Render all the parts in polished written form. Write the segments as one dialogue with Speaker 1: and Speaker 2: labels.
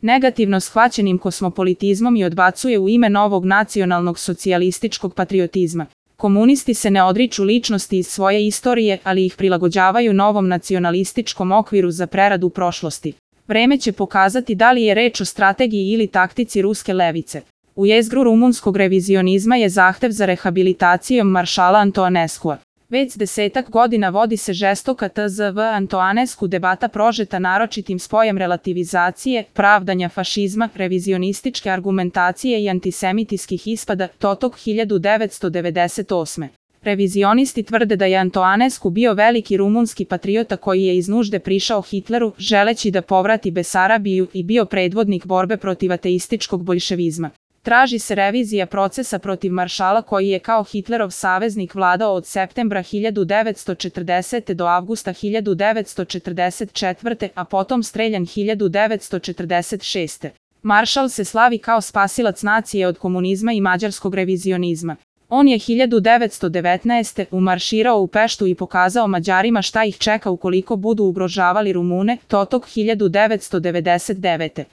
Speaker 1: negativno shvaćenim kosmopolitizmom i odbacuje u ime novog nacionalnog socijalističkog patriotizma. Komunisti se ne odriču ličnosti iz svoje istorije, ali ih prilagođavaju novom nacionalističkom okviru za preradu prošlosti. Vreme će pokazati da li je reč o strategiji ili taktici ruske levice. U jezgru rumunskog revizionizma je zahtev za rehabilitacijom maršala Antoaneskua. Već 10 godina vodi se žestoka tzv. Antoanescu debata prožeta naročitim spojem relativizacije, pravdanja fašizma, revizionističke argumentacije i antisemitijskih ispada, totok 1998. Revizionisti tvrde da je Antoanescu bio veliki rumunski patriota koji je iz nužde prišao Hitleru, želeći da povrati Besarabiju i bio predvodnik borbe protiv ateističkog boljševizma. Traži se revizija procesa protiv maršala koji je kao Hitlerov saveznik vladao od septembra 1940. do avgusta 1944. a potom streljan 1946. Maršal se slavi kao spasilac nacije od komunizma i mađarskog revizionizma. On je 1919. umarširao u Peštu i pokazao Mađarima šta ih čeka ukoliko budu ugrožavali Rumune, totok 1999.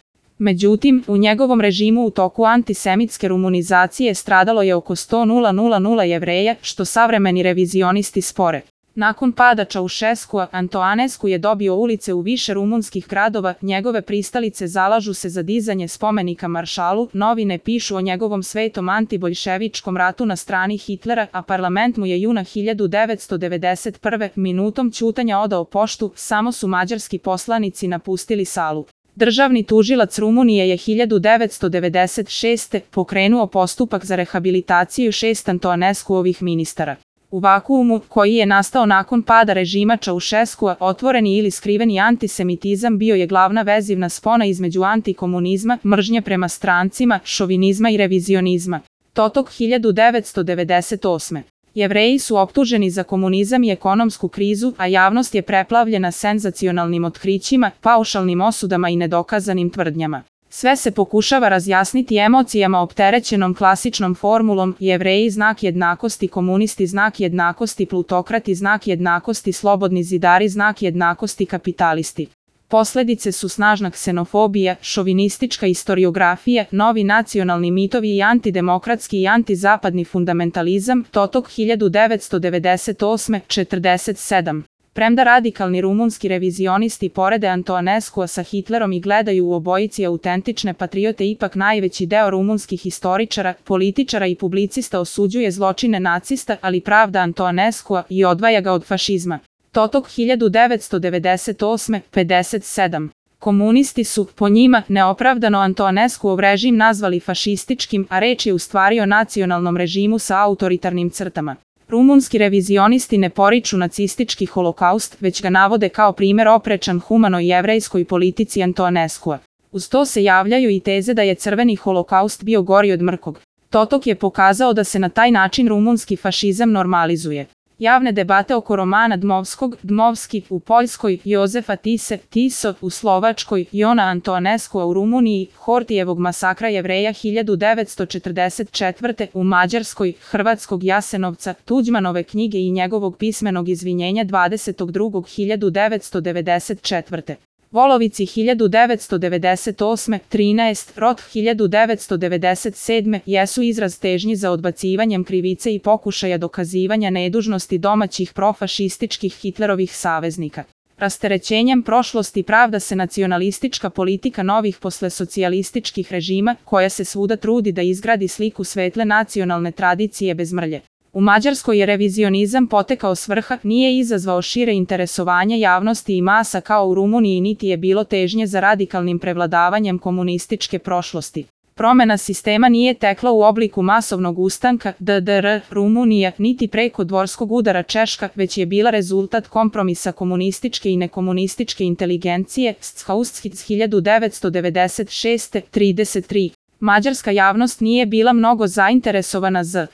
Speaker 1: Međutim, u njegovom režimu u toku antisemitske rumunizacije stradalo je oko 100.000 Jevreja, što savremeni revizionisti spore. Nakon pada Čaušeskua, Antoanescu je dobio ulice u više rumunskih gradova, njegove pristalice zalažu se za dizanje spomenika maršalu, novine pišu o njegovom svetom antiboljševičkom ratu na strani Hitlera, a parlament mu je juna 1991. minutom ćutanja odao poštu, samo su mađarski poslanici napustili salu. Državni tužilac Rumunije je 1996. pokrenuo postupak za rehabilitaciju 6 Antoanescuovih ministara. U vakuumu, koji je nastao nakon pada režima Čaušeskua, otvoreni ili skriveni antisemitizam bio je glavna vezivna spona između antikomunizma, mržnje prema strancima, šovinizma i revizionizma. Totok 1998. Jevreji su optuženi za komunizam i ekonomsku krizu, a javnost je preplavljena senzacionalnim otkrićima, paušalnim osudama i nedokazanim tvrdnjama. Sve se pokušava razjasniti emocijama opterećenom klasičnom formulom Jevreji znak jednakosti, komunisti znak jednakosti, plutokrati znak jednakosti, slobodni zidari znak jednakosti, kapitalisti. Posledice su snažna ksenofobija, šovinistička istoriografija, novi nacionalni mitovi i antidemokratski i antizapadni fundamentalizam, totok 1998-47. Premda radikalni rumunski revizionisti porede Antoanescua sa Hitlerom i gledaju u obojici autentične patriote, ipak najveći deo rumunskih historičara, političara i publicista osuđuje zločine nacista, ali pravda Antoanescua i odvaja ga od fašizma. Totok 1998-57. Komunisti su, po njima, neopravdano Antoanescuov režim nazvali fašističkim, a reč je u stvari o nacionalnom režimu sa autoritarnim crtama. Rumunski revizionisti ne poriču nacistički holokaust, već ga navode kao primer oprečan humanoj jevrejskoj politici Antoanescua. Uz to se javljaju i teze da je crveni holokaust bio gori od mrkog. Totok je pokazao da se na taj način rumunski fašizam normalizuje. Javne debate oko romana Dmovskog, Dmovski u Poljskoj, Jozefa Tise, Tiso u Slovačkoj, Jona Antoanescua u Rumuniji, Hortijevog masakra Jevreja 1944. u Mađarskoj, Hrvatskog Jasenovca, Tuđmanove knjige i njegovog pismenog izvinjenja 22.1994. Volovici 1998, 13, Rot 1997 jesu izraz težnji za odbacivanjem krivice i pokušaja dokazivanja nedužnosti domaćih profašističkih Hitlerovih saveznika. Rasterećenjem prošlosti pravda se nacionalistička politika novih poslesocijalističkih režima, koja se svuda trudi da izgradi sliku svetle nacionalne tradicije bez mrlje. U Mađarskoj je revizionizam potekao s vrha, nije izazvao šire interesovanje javnosti i masa kao u Rumuniji, niti je bilo težnje za radikalnim prevladavanjem komunističke prošlosti. Promena sistema nije tekla u obliku masovnog ustanka DDR Rumunija, niti preko dvorskog udara Češka, već je bila rezultat kompromisa komunističke i nekomunističke inteligencije, Schauskitz 1996, 33. Mađarska javnost nije bila mnogo zainteresovana za